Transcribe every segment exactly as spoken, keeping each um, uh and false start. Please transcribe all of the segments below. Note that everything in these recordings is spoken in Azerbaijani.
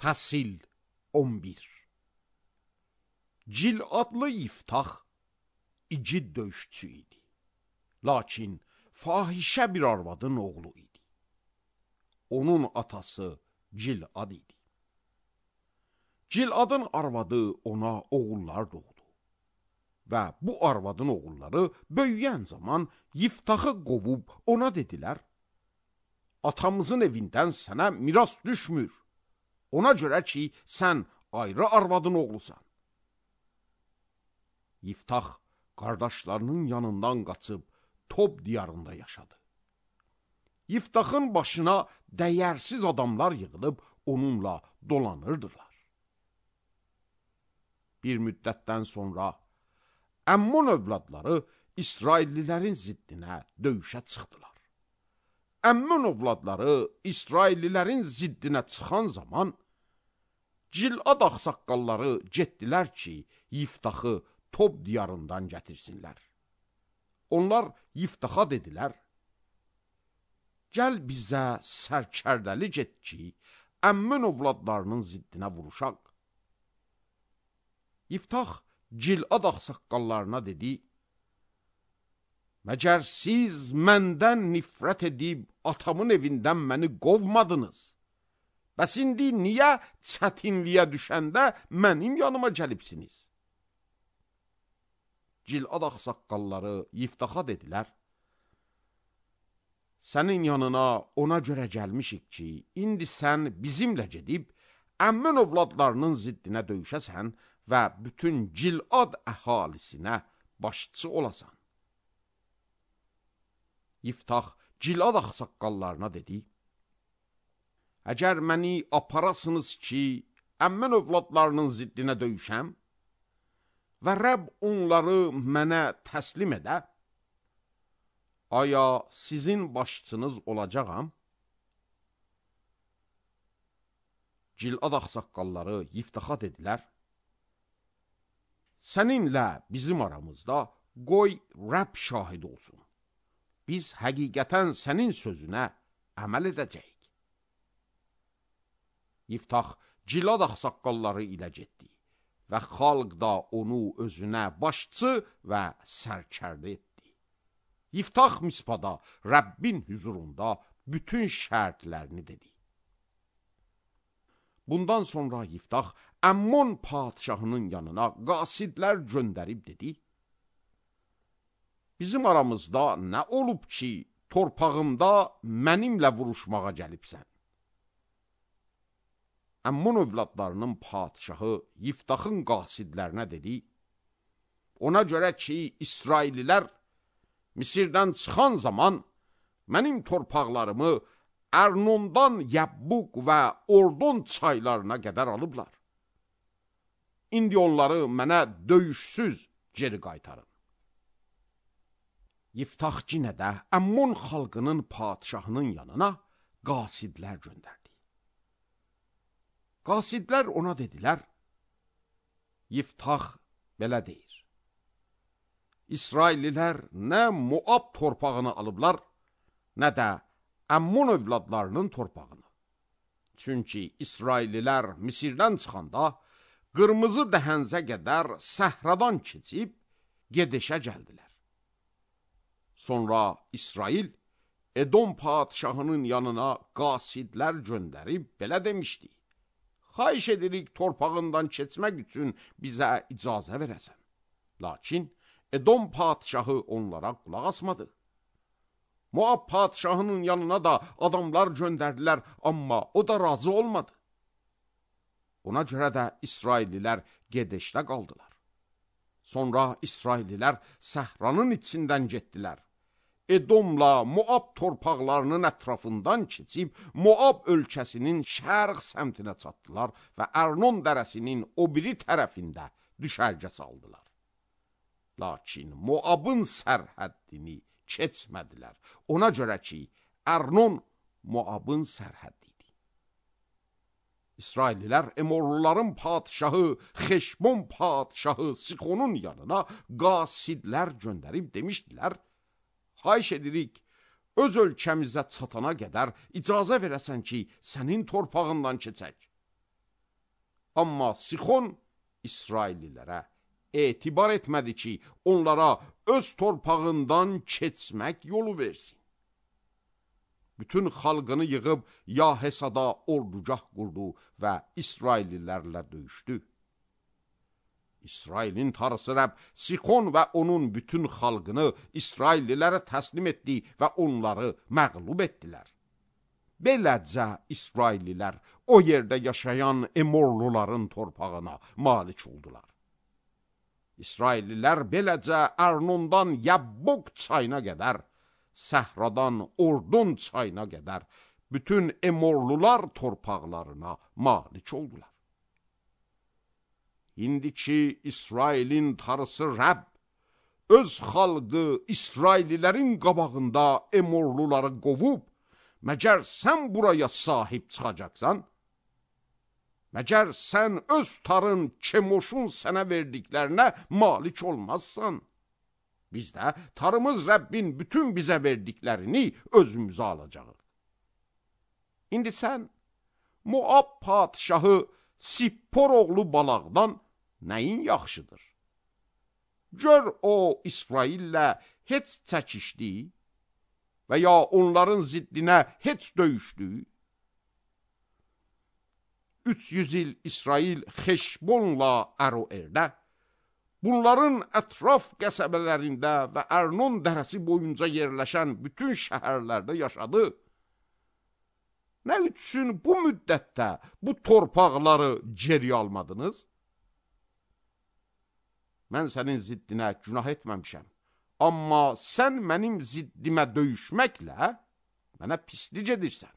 Fəsil on bir. Cil adlı Yiftax igid döyüşçü idi. Lakin fahişə bir arvadın oğlu idi. Onun atası Cilad idi. Ciladın arvadı ona oğullar doğdu. Və bu arvadın oğulları böyüyən zaman Yiftaxı qovub ona dedilər: atamızın evindən sənə miras düşmür. Ona görə ki, sən ayrı arvadın oğlusan. Yiftax qardaşlarının yanından qaçıb Tob diyarında yaşadı. Yiftaxın başına dəyərsiz adamlar yığılıb onunla dolanırdılar. Bir müddətdən sonra Əmmun övladları İsraillilərin ziddinə döyüşə çıxdılar. Əmmun övladları İsraillilərin ziddinə çıxan zaman Cilad ağsaqqalları getdilər ki, Yiftaxı Tob diyarından gətirsinlər. Onlar Yiftaxa dedilər: gəl bizə sərkərdəli get ki, Əmmun övladlarının ziddinə vuruşaq. Yiftax Cilad ağsaqqallarına dedi: məgər siz məndən nifrət edib atamın evindən məni qovmadınız? Bəs indi niyə çətinliyə düşəndə mənim yanıma gəlibsiniz? Cilad ağsaqqalları Yiftaxa dedilər: sənin yanına ona görə gəlmişik ki, indi sən bizimlə gedib Əmmun övladlarının ziddinə döyüşəsən və bütün Cilad əhalisinə başçı olasan. Yiftax Cilad ağsaqqallarına dedi: əgər məni aparasınız ki, Əmmun övladlarının ziddinə döyüşəm və Rəbb onları mənə təslim edə, aya sizin başçınız olacağam? Cilad ağsaqqalları Yiftaxa dedilər: səninlə bizim aramızda qoy Rəbb şahid olsun. Biz həqiqətən sənin sözünə əməl edəcəyik. Yiftax Cilad ağsaqqalları ilə getdi və xalq da onu özünə başçı və sərkərdə etdi. Yiftax Mispada Rəbbin hüzurunda bütün şərtlərini dedi. Bundan sonra Yiftax Əmmun padişahının yanına qasidlər göndərib dedi: bizim aramızda nə olub ki, torpağımda mənimlə vuruşmağa gəlibsən? Əmmun övladlarının padişahı Yiftaxın qasidlərinə dedi: ona görə ki, İsraillilər Misirdən çıxan zaman mənim torpaqlarımı Ərnondan Yəbbuq və Ordon çaylarına qədər alıblar. İndi onları mənə döyüşsüz geri qaytarın. Yiftax yenə də Əmmun xalqının padişahının yanına qasidlər göndərdi. Qasidlər ona dedilər: Yiftax belə deyir: İsraillilər nə Moab torpağını alıblar, nə də Əmmun övladlarının torpağını. Çünki İsraillilər Misirdən çıxanda qırmızı dəhənzə qədər səhradan keçib gedişə gəldilər. Sonra İsrail Edom padişahının yanına qasidlər göndərib belə demişdi: xahiş edirik torpağından keçmək üçün bizə icazə verəsən. Lakin Edom padişahı onlara qulaq asmadı. Moab padişahının yanına da adamlar göndərdilər, amma o da razı olmadı. Ona görə də İsraillilər gedişdə qaldılar. Sonra İsraillilər səhranın içindən getdilər. Edomla Moab torpaqlarının ətrafından keçib Moab ölkəsinin şərq səmtinə çatdılar və Ərnon dərəsinin o biri tərəfində düşərgə saldılar. Lakin Moabın sərhəddini keçmədilər. Ona görə ki, Ərnon Moabın sərhəddi idi. İsraillilər Emorluların padişahı Xeşbon padişahı Sixonun yanına qasidlər göndərib demişdilər: xahiş edirik, öz ölkəmizə çatana qədər icazə verəsən ki, sənin torpağından keçək. Amma Sixon İsraillilərə etibar etmədi ki, onlara öz torpağından keçmək yolu versin. Bütün xalqını yığıb Yahesada ordugah qurdu və İsraillilərlə döyüşdü. İsrailin tarısı Rəbb Sixon və onun bütün xalqını İsraillilərə təslim etdi və onları məğlub etdilər. Beləcə İsraillilər o yerdə yaşayan Emorluların torpağına malik oldular. İsraillilər beləcə Ərnondan Yabbok çayına qədər, Səhradan Ordon çayına qədər bütün Emorlular torpaqlarına malik oldular. İndiki İsrailin tarısı Rəbb öz xalqı İsraillilərin qabağında Emorluları qovub, məgər sən buraya sahib çıxacaqsan? Məgər sən öz tarın Kemoşun sənə verdiklərinə malik olmazsan? Biz də tarımız Rəbbin bütün bizə verdiklərini özümüzə alacağıq. İndi sən Moab padişahı Sippor oğlu Balaqdan nəyin yaxşıdır? Gör o İsraillə heç çəkişdi və ya onların ziddinə heç döyüşdü. üç yüz il İsrail Xeşbonla Əroerdə, bunların ətraf qəsəbələrində və Ərnon dərəsi boyunca yerləşən bütün şəhərlərdə yaşadı. Nə üçün bu müddətdə bu torpaqları geri almadınız? Mən sənin ziddinə günah etməmişəm, amma sən mənim ziddimə döyüşməklə mənə pislik edirsən.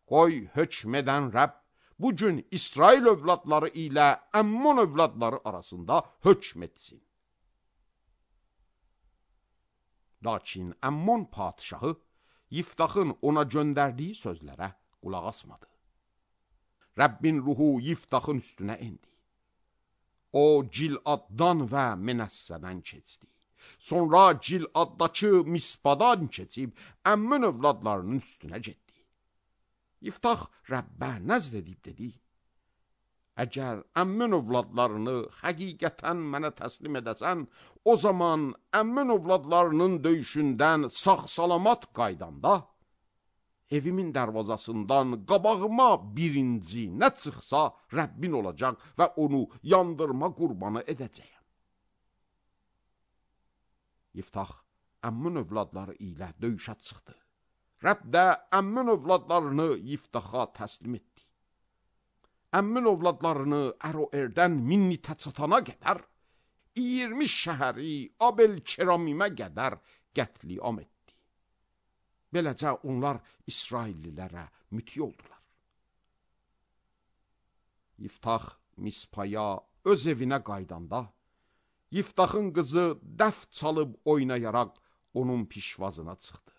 Qoy hökm edən Rəbb bugün İsrail övladları ilə Əmmon övladları arasında hökm etsin. Lakin Əmmon padişahı Yiftaxın ona göndərdiyi sözlərə qulaq asmadı. Rəbbin ruhu Yiftaxın üstünə indi. O Giladdan və Menəssədən keçdi. Sonra Giladdakı Mispadan keçib Əmmon övladlarının üstünə getdi. Yiftax Rəbbə nəzr edib dedi: Əgər Əmmon övladlarını həqiqətən mənə təslim edəsən, o zaman Əmmon övladlarının döyüşündən sağ-salamat qaydanda, evimin dərvazasından qabağıma birinci nə çıxsa Rəbbin olacaq və onu yandırma qurbanı edəcəyəm. Yiftax Əmmon övladları ilə döyüşə çıxdı. Rəbb də Əmmon övladlarını Yiftaxa təslim etdi. Əmmon övladlarını Əroerdən Minnitə çatana qədər, iyirmi şəhəri Abel-Keramimə qədər qətliam etdi. Beləcə onlar İsraillilərə müti oldular. Yiftax Mispaya öz evinə qaydanda, Yiftaxın qızı dəf çalıb oynayaraq onun pişvazına çıxdı.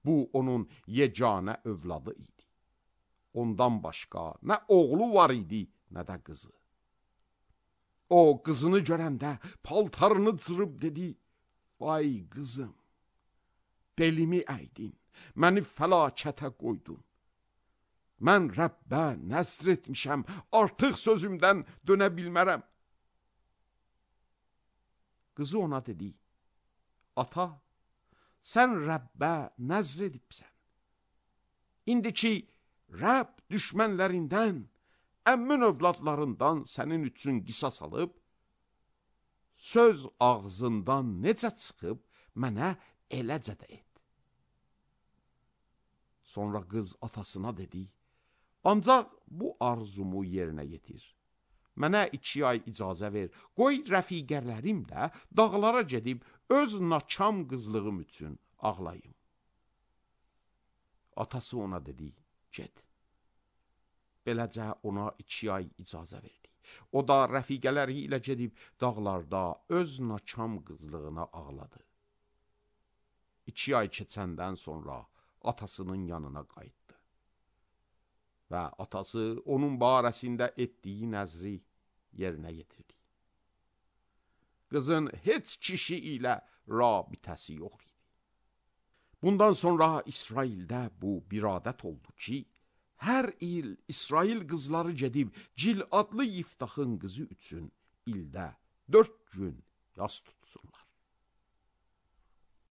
Bu onun yeganə övladı idi. Ondan başqa nə oğlu var idi, nə də qızı. O qızını görəndə paltarını cırıb dedi: Vay qızım, belimi əydin, məni fəlakətə qoydun. Mən Rəbbə nəzr etmişəm, artıq sözümdən dönə bilmərəm. Qızı ona dedi: Ata, sən Rəbbə nəzr edibsən. İndi ki, Rəbb düşmənlərindən, Əmmon övladlarından sənin üçün qisas alıb, söz ağzından necə çıxıb, mənə eləcə də et. Sonra qız atasına dedi: Ancaq bu arzumu yerinə yetir. Mənə iki ay icazə ver, qoy rəfiqələrim də dağlara gedib öz naçam qızlığım üçün ağlayım. Atası ona dedi: Get. Beləcə ona iki ay icazə verdi. O da rəfiqələri ilə gedib dağlarda öz naçam qızlığına ağladı. İki ay keçəndən sonra atasının yanına qayıtdı. Və atası onun barəsində etdiyi nəzri yerinə yetirdi. Qızın heç kişi ilə rabitəsi yox idi. Bundan sonra İsraildə bu bir adət oldu ki, hər il İsrail qızları gedib Cil adlı Yiftaxın qızı üçün ildə dörd gün yas tutsunlar.